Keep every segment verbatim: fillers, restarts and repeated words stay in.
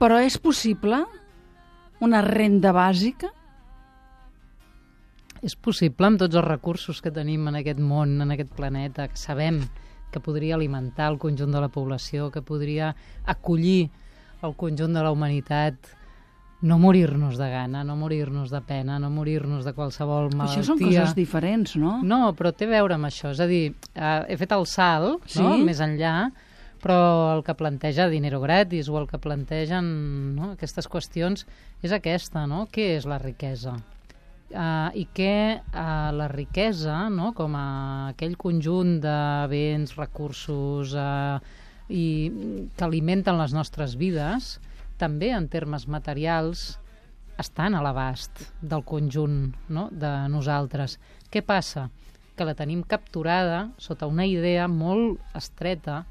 Però és possible una renda bàsica? És possible amb tots els recursos que tenim en aquest món, en aquest planeta, que sabem que podria alimentar el conjunt de la població, que podria acollir el conjunt de la humanitat, no morir-nos de gana, no morir-nos de pena, no morir-nos de qualsevol malaltia. Això són coses diferents, no? No, però té a veure amb això. És a dir, eh, he fet el salt, sí? no? Més enllà, però el que planteja Dinero Gratis o el que plantegen, no? Aquestes qüestions és aquesta, no? Què és la riquesa? Uh, I què uh, la riquesa, no? Com a aquell conjunt de béns, recursos uh, i que alimenten les nostres vides, també en termes materials estan a l'abast del conjunt, no? De nosaltres. Què passa? Que la tenim capturada sota una idea molt estreta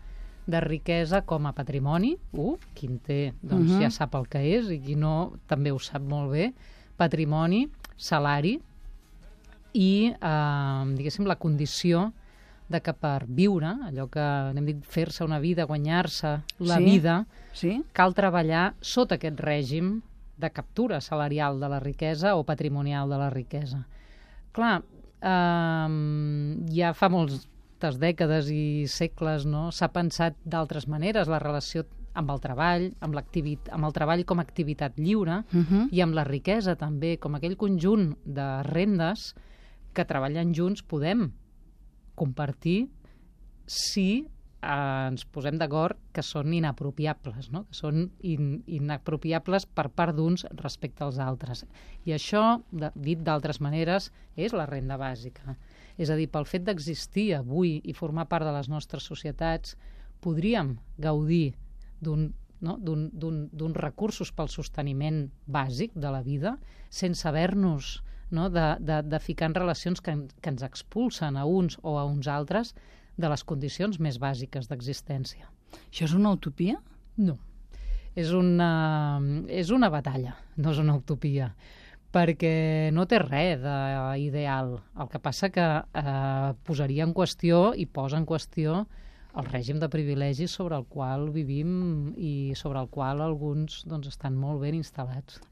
de riquesa com a patrimoni. Uh, qui en té doncs, uh-huh. ja sap el que és, i qui no també ho sap molt bé. Patrimoni, salari i, eh, diguéssim, la condició de que per viure, allò que n'hem dit fer-se una vida, guanyar-se la sí? vida, sí? cal treballar sota aquest règim de captura salarial de la riquesa o patrimonial de la riquesa. Clar, eh, ja fa moltes dècades i segles, no? S'ha pensat d'altres maneres la relació amb el treball, amb, amb el treball com a activitat lliure uh-huh. i amb la riquesa també, com aquell conjunt de rendes que treballant junts podem compartir si eh, ens posem d'acord que són inapropiables, no? Que són in, inapropiables per part d'uns respecte als altres. I això, de, dit d'altres maneres, és la renda bàsica. És a dir, pel fet d'existir avui i formar part de les nostres societats, podríem gaudir d'un no? d'uns recursos pel sosteniment bàsic de la vida, sense haver-nos no? de, de, de ficar en relacions que, que ens expulsen a uns o a uns altres de les condicions més bàsiques d'existència. Això és una utopia? No. És una, és una batalla, no és una utopia, perquè no té res d'ideal. El que passa que eh, posaria en qüestió i posa en qüestió el règim de privilegis sobre el qual vivim i sobre el qual alguns doncs, estan molt ben instal·lats.